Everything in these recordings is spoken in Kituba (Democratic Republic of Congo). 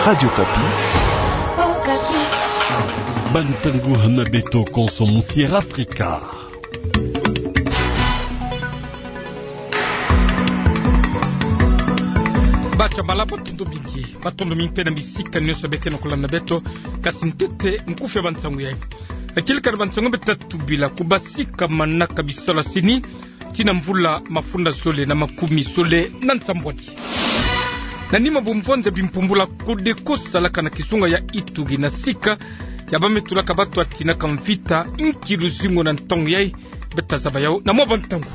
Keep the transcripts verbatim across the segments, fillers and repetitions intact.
Radio Okapi. Bantangu hana beto konso Musiera Afrika. Bacha bala, matondo mingi. Matondo mingi mpe na bisika nyonso beke na kulanda beto. Kasi ntete nkufi ya bantangu yayi. Yakieleka na bantangu beto ta tubila: kubasika manaka bisalu ya CENI tii na mvula mafunda zole na makumi zole na nsambwadi. Na nima bumvonza bimpumbula Codeco salaka na kizunga ya Ituri na sika ya bamai tulaka bato ya tinaka mvita, inki luzingu na ntangu yayi? Beto ta zaba yawu na mwa bantangu.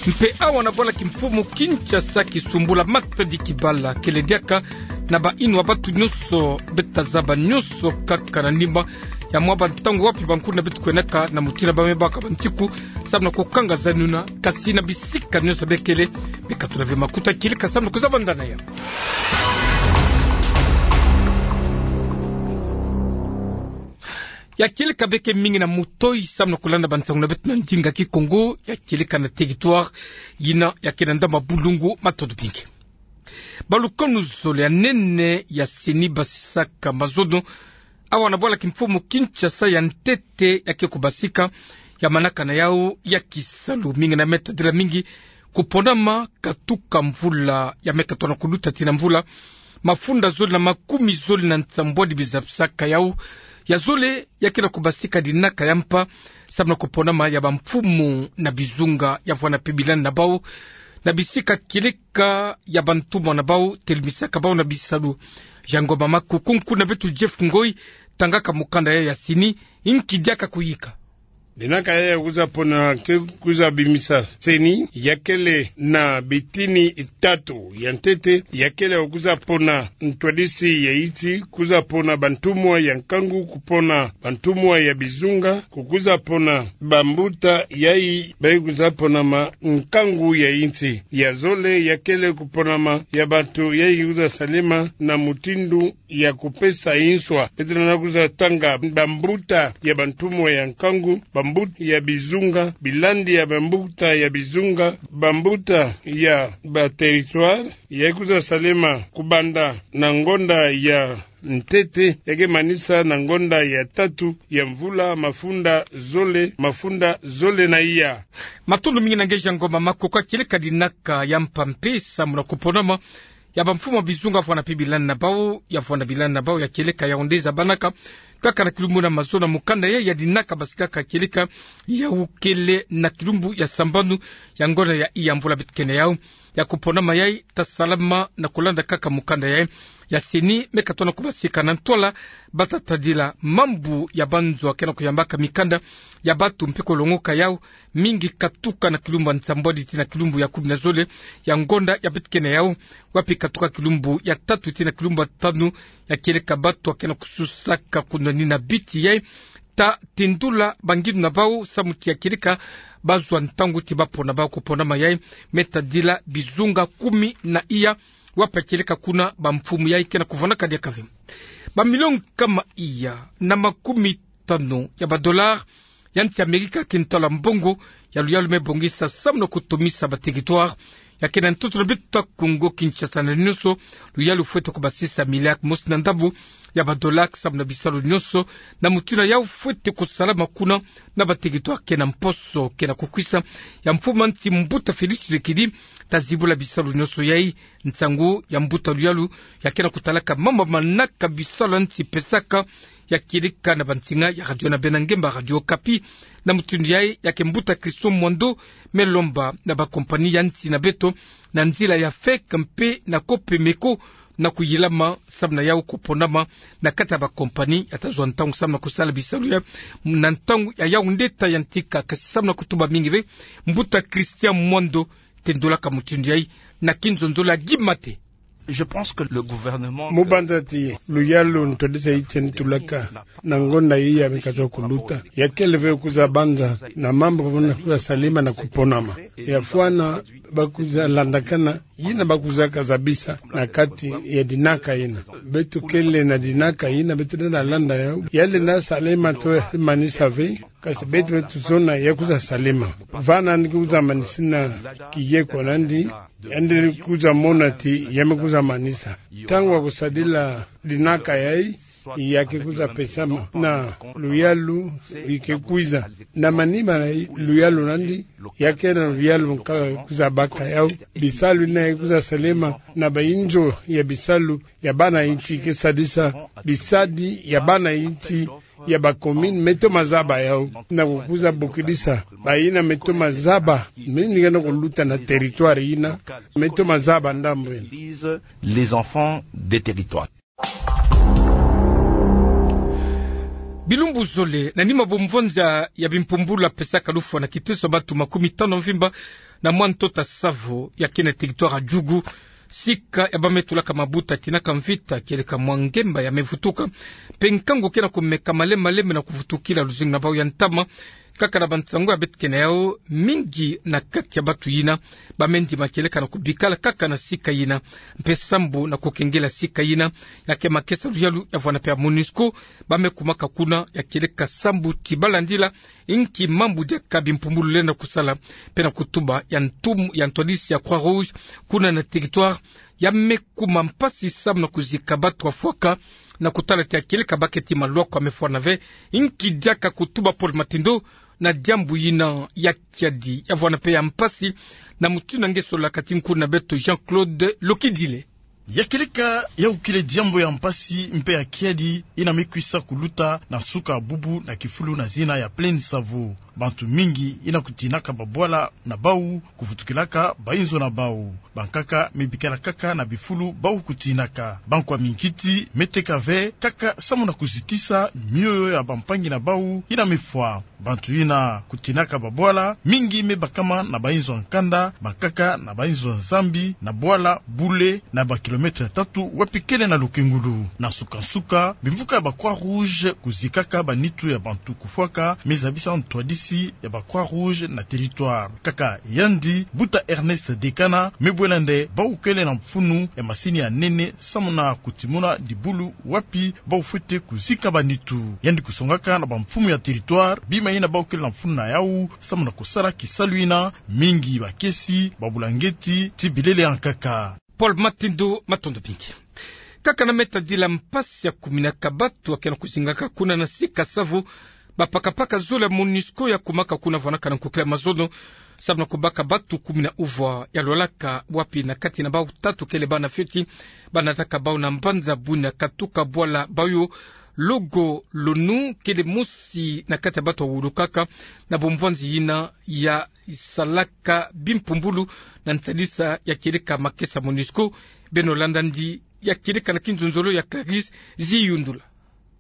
Mpe awa na bwala kimfumu Kinshasa, kisumbula Matadi Kibala kele diaka na bayinwa ya bato nyonso. Beto ta zaba nyonso kaka na nima ya mwa bantangu, wapi bankulu na beto kwenaka na mutindu ya bamai baka bantiku samu na kukanga zani yuna, kasi na bisika nyonso bekele, bekatula ve makuta, yakieleka samu na kuzabanda na yawu. Yakieleka beke mingi na mutoyi samu na kulanda bantangu na beto na ndinga Kikongo, yakieleka na territoire yina ya ke na ndambu ya Bulungu. Matondo mingi. Balukanu zole ya nene ya CENI basisaka mazono awa na bwala kimfumu Kinshasa ya ntete ya ke kubasika ya manaka na yawu ya kisalu. Mingi na me tadila mingi kuponama katuka mvula ya me katono kuluta tii na mvula mafunda zole na makumi zole na nsambwadi bizabisaka yawu. Ya zole ya ke na kubasika dinaka ya mpa samu na kuponama ya bamfumu na bizunga ya vwanda mpe bilani na bawu na bisika yakieleka ya bantumwa na bawu, telimisaka bawu na bisalu. Jean Ngoma Makoko, nkulu na beto Jeff Ngoi, tangaka mukanda yayi ya CENI, inki diaka kuyika. Dinaka yayi ya kwiza pona, ke kwiza bimisa CENI, ya kele na bitini tatu. Ya ntete, ya kele ya kwiza pona ntwadisi ya insi, kwiza pona bantumwa ya nkangu, kupona bantumwa ya bizunga, kukwiza pona bambuta yayi bayi kwiza pona ma nkangu ya insi. Ya zole ya kele kuponama ya bantu yayi kwiza salema na mutindu ya kupesa inswa. Beto lenda kwiza tanga bambuta ya bantumwa ya nkangu, bambuta ya bizunga, bilandi ya bambuta ya bizunga, bambuta ya ba territoire, yayi kwiza salema kubanda na ngonda ya ntete, ya ke manisa na ngonda ya tatu ya mvula mafunda zole, mafunda zole na iya. Matondo mingi na nge Jean Ngoma Makoko. Yakieleka dinaka ya mpa mpe samu na kuponama ya bamfumu ya bizunga ya vwanda mpe bilani na bawu, ya vwanda bilani na bawu, yakieleka yawu nde zabanaka kaka na kilumbu na mazono. Mukanda yayi ya dinaka basikaka yakieleka yawu kele na kilumbu ya sambanu ya ngonda ya iya mvula beto ke na yawu. Ya kuponama yayi ta salama na kulanda kaka mukanda yayi ya CENI, me katono kubasika na ntwala bata tadila mambu ya banzo ya ke na kuyambaka mikanda ya bato mpe kulongoka yawu, mingi katuka na kilumbu ya nsambwadi tii na kilumbu ya kumi na zole ya ngonda ya beto ke na yawu, wapi katuka kilumbu ya tatu tii na kilumbu ya tanu, yakieleka bato ya ke na kususaka kunwanina biti yayi ta tendula bangindu na bawu samu ti yakieleka bazwa ntangu ti bapona bawu. Kuponama yayi me tadila bizunga kumi na iya, wapi yakieleka kuna bamfumu yayi ke na kuvwanaka diaka ve. Bamilio nkama iya na makumi tanu ya badolari ya nsi Amerika, kintwala mbongo ya luyalu me bongisa samu na kutomisa ba territoire ya ke na ntoto na beto Kongo Kinshasa na nyonso. Luyalu fwete kubasisa miliari mosi na ndambu ya badolari samu na bisalu nyonso, na mutindu yawu fwete kusalama kuna na ba territoire ke na mposo ke na kukwisa ya mfumu ya nsi mbuta Félix Tshisekedi ta zibula bisalu nyonso yayi. Nsangu ya mbuta luyalu ya ke na kutalaka mambu ya manaka bisalu ya nsi pesaka, yakieleka na bansinga ya radio na bena ngemba Radio Okapi. Na mutindu yayi ya ke mbuta Christian Mwando me lomba na ba compagnie ya nsi na beto na nzila ya FEC mpe na COPEMECO na kuyilama samu na yawu kuponama na kati ya ba compagnie ya ta zwa ntangu samu na kusala bisalu yayi na ntangu ya yawu nde ta yantika. Kasi samu na kutuba mingi ve, mbuta Christian Mwando, tendulaka mutindu yayi na kinzonzolo ya Guy Mate. Je pense que le gouvernement Mu banza ti luyalu ntwadisi ya insi tendulaka na ngonda iya me kazwa kuluta, ya kele ve kwiza banza na mambu muna kwiza salama na kuponama. Ya fwana ba kwiza landakana yina ba kwizaka zabisa na kati ya dinaka yina. Beto kele na dinaka yina, beto lenda landa yawu. Ya lenda salama to manisa ve Kasi beto, beto zona ya kwiza salema. Vana nani kwiza manisina kiyeko nandi, yandi kwiza mona ti ya me kwiza manisa. Ntangu ya kusadila dinaka yayi, ya ke kwiza pesama na luyalu, yi ke kwiza na manima na luyalu nandi, ya ke na luyalu nkaka kwiza baka yau. Bisalu yina ya kwiza salema na bayinzo ya bisalu ya bana insi, ke sadisa bisadi ya bana insi ya ba commune, me toma zaba yau, na kukwiza bokidisa bayina me toma zaba, me nika na kuluta na territoire yina, me toma zaba ndambu yina. Les enfants des territoires. Bilumbu zole, na nima bo mvonza ya bimpumbulu ya pesaka lufwa na kiteso ya bantu makumi tanu mvimba na mwa ntota savo ya ke na territoire ya Djugu, sika ya ba me tulaka mabuta tinaka mvita, kieleka mwa ngemba ya me vutuka, mpe nkangu ke na kumeka malembe malembe na kuvutukila luzingu na bau ya ntama. Kaka na bansangu ya beto ke na yau, mingi na kati ya bantu yina ba me ndima kieleka na kubikala kaka na sika yina, mpe sambu na kukengela sika yina ya ke makesa luyalu ya vwanda mpe ya MONUSCO ba me kumaka kuna, ya kieleka sambu ti ba landila inki mambu diaka bimpumbulu lenda kusala, mpe na kutuba ya ntum-, ya ntwadisi ya Croix-Rouge kuna na territoire, ya me kuma mpasi sambu na kuzika bantu bafwaka, na kutala ti ya kieleka ba ke ti malwako ya me fwana ve. Inki diaka kutuba Paul Matindo na diambu yina ya kiadi ya vwanda mpe ya mpasi, na mutindu nge sololaka ti nkuna beto Jean-Claude Lokidile. Ya kieleka ya ukile diambu ya mpasi mpe ya kiadi yina me kwisa kuluta na nsuka bubu na kifulu na zina ya Plaine Savo. Bantu mingi yina kutinaka babwala na bau, kuvutukilaka bayinzo na bau. Bankaka me bikala kaka na bifulu bau kutinaka. Bankwa minkiti me teka ve kaka sambu na kuzitisa mioyo ya bampangi na bau yina me fwa. Bantu yina kutinaka babwala, mingi me bakama na bayinzo ya nkanda, bankaka na bayinzo ya zambi, na bwala bule, na ba kilomètre tatu wapi kele na Lokengulu. Na nsuka-nsuka, bimvuka ya ba Croix-Rouge kuzikaka banitu ya bantu kufwaka me zabisa ntwadisi ya ba Croix-Rouge na territoire. Kaka yandi, mbuta Ernest Dekana me bwela nde bau kele na mfunu ya masini ya nene sambu na kutimuna dibulu wapi bau fwete kuzika banitu. Yandi kusongaka na bamfumu ya territoire bima yina bau kele na mfunu na yau sambu na kusala kisalu yina, mingi bakesi, babulangeti, ti bilele ya nkaka. Paul Matindo, matondo mingi. Kaka na me tadila mpasi ya kuminaka bantu ya ke na kuzingaka kuna na sika Savo, bapakapaka zole ya MONUSCO ya kumaka kuna vwanaka na nkukila mazono, sambu na kubaka bantu kumi na uvwa ya lwalaka, wapi na kati na bau tatu kele bana fioti, ba nataka bau na mbanza buna katuka bwala bau yo. Logo Lonu kele mosi na kati ya bantu ya wulukaka na bomvwanzi yina ya salaka bimpumbulu na nsadisa ya kieleka makesa MONUSCO. Beno landa ndi ya kieleka na kinzonzolo ya Clarisse Ziyundula.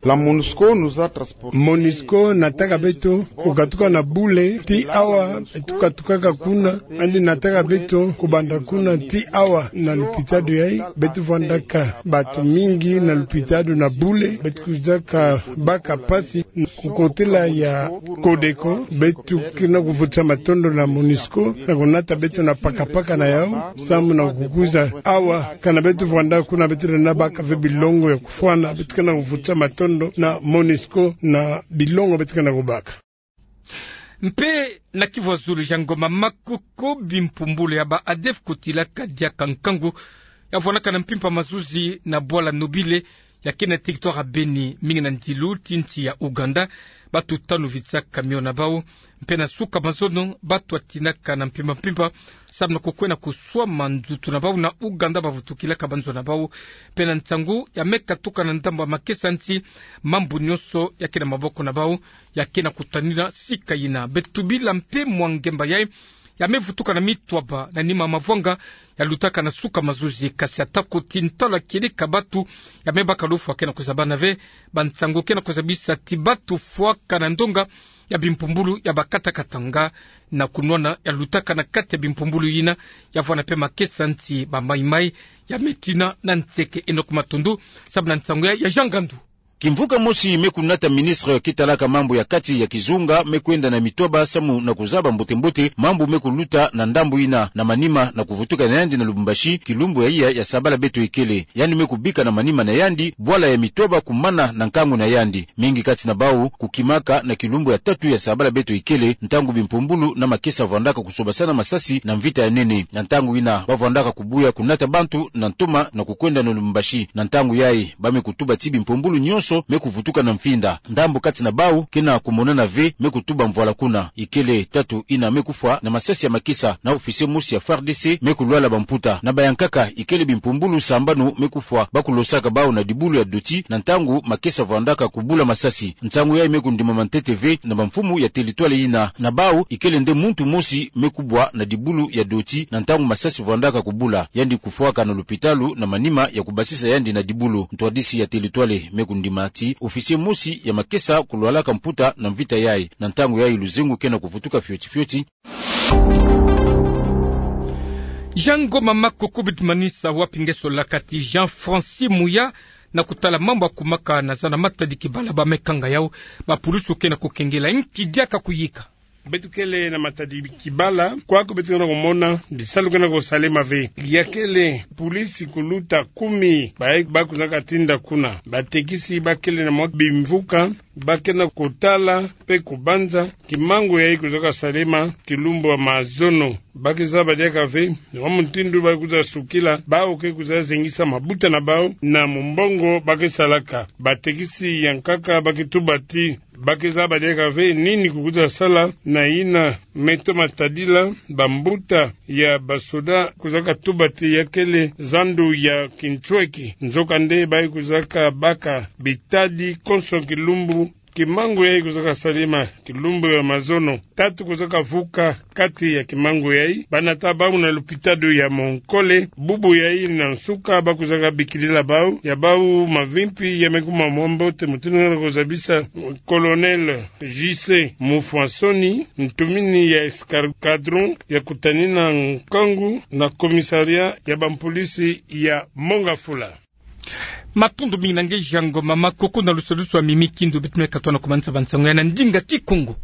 La MONUSCO nous a transportés. MONUSCO nataka beto kukatuka na bule ti awa tukatukaka kuna, yandi nataka beto kubanda kuna ti awa na lupitalu yayi. Beto vwandaka bantu mingi na lupitalu na bule, beto kwizaka baka mpasi kukotela ya Codeco. Beto ke na kuvutisa matondo na MONUSCO na kunata beto na pakapaka na yau, sambu na kukwiza awa. Kana beto vwanda kuna, beto lenda baka ve bilongo ya kufwana. Beto ke na kuvutisa matondo na MONUSCO na bilongo beto ke na kubaka. Mpe na Kivu ya Zulu, Jean Ngoma Makoko, bimpumbulu ya ba ADF kutilaka diaka nkangu ya vwanaka na mpimpa mazuzi na bwala Nobile ya ke na territoire ya Beni, mingi na ndilu ti nsi ya Ouganda. Bantu tanu vitsaka camion na bau. Mpe na suka mazono, bantu batinaka na mpimpa mpimpa sambu na kukwenda kuswama nzutu na bau na Ouganda bavutukilaka banzo na bau. Mpe na nsangu ya me katuka na ndambu ya makesa nsi, mambu nyonso ya ke na maboko na bau ya ke na kutanina sika yina. Beto tubila mpe mwa ngemba yayi ya me vutuka na mitwaba na nima mavwanga ya lutaka na suka mazuzi, kasi atako ti ntalu ya kieleka bantu ya me baka lufwa ke na kuzabana ve, bansangu ke na kuzabisa ti bantu fwaka na ndonga ya bimpumbulu ya ba kata-katanga na kunwana ya lutaka na kati ya bimpumbulu yina ya vwana mpe makesa nsi, ba maimai ya me tina na nseke. Enoch Matundu sambu na nsangu ya, ya Jean Ngandu. Kimvuka mosi me kunata ministre ke talaka mambu ya kati ya kizunga me kwenda na mitoba samu na kuzaba mbote-mbote mambu me kuluta na ndambu yina. Na manima na kuvutuka na yandi na Lubumbashi, kilumbu ya iya ya sabala beto ikele, yandi me kubika na manima na yandi bwala ya mitoba kumana na nkangu na yandi. Mingi kati na bau kukimaka na kilumbu ya tatu ya sabala beto ikele, ntangu bimpumbulu na makesa vwandaka kusobasana masasi na mvita ya nene. Na ntangu yina ba vwandaka kubuya kunata bantu na ntoma na kukwenda na Lubumbashi. Na ntangu yayi ba me kutuba ti bimpumbulu nyonso me kuvutuka na mfinda. Ndambu kati na bau ke na kumonana ve me kutuba mvwala kuna. Ikele tatu yina me kufwa na masasi ya makesa, na officier mosi ya F A R D C me kulwala bamputa. Na bayankaka ikele bimpumbulu sambanu me kufwa ba kulosaka bau na dibulu ya doti na ntangu makesa vwandaka kubula masasi. Nsangu yayi me kundimama ntete ve na bamfumu ya territoire yina. Na bau ikele nde muntu mosi me kubwa na dibulu ya doti na ntangu masasi vwandaka kubula, yandi kufwaka na lupitalu na manima ya kubasisa yandi na dibulu. Ntwadisi ya territoire me kundima ti officier mosi ya makesa kulwalaka mputa na mvita yayi. Na ntangu yayi luzengu ke na kuvutuka fioti-fioti. Jango mama, koko bitumanisa wapi ngeso la kati Jean Francis Muya na kutala mambu ya kumaka na zana Matadi Kibala? Ba me kanga yau, bapulusu ke na kukengela, nki diaka kuyika? Beto kele na Matadi Kibala, kwaku beto ke na kumona bisalu ke na kusalema ve. Ya kele pulisi kuluta kumi, bayi ba kuzaka tinda kuna. Batekisi ba kele na mwa bimvuka, ba ke na kutala mpe kubanza kimangu yayi kuzaka salema kilumbu ya mazono. Ba ke zaba diaka ve na wa mutindu ba kwiza sukila bau ke kwiza zengisa mabuta na bau na mumbongo ba ke salaka. Batekisi ya nkaka ba ke tuba ti ba ke zaba diaka ve nini kukwiza sala na yina me toma tadila bambuta ya basoda. Kwizaka tuba ti ya kele zandu ya kintweki, nzokande bayi kwizaka baka bitadi konso kilumbu. Kimangu yayi kwizaka salema kilumbu ya mazono. Tatu kwizaka vuka kati ya kimangu yayi, ba nata bau na lupitalu ya Monkole. Bubu yayi na nsuka ba kwizaka bikilila bau, ya bau mavimpi ya me kuma mwa mbote, mutindu nge na kuzabisa Colonel J C Mufwasoni, ntumini ya escadron ya kutanina nkangu na commissariat ya bampulisi ya Mont-Ngafula. Matondo mingi na nge Jango mama, koko na lusalusu ya mimi kindu beto me katoa na kumanisa bansangu ya na ndinga Kikongo.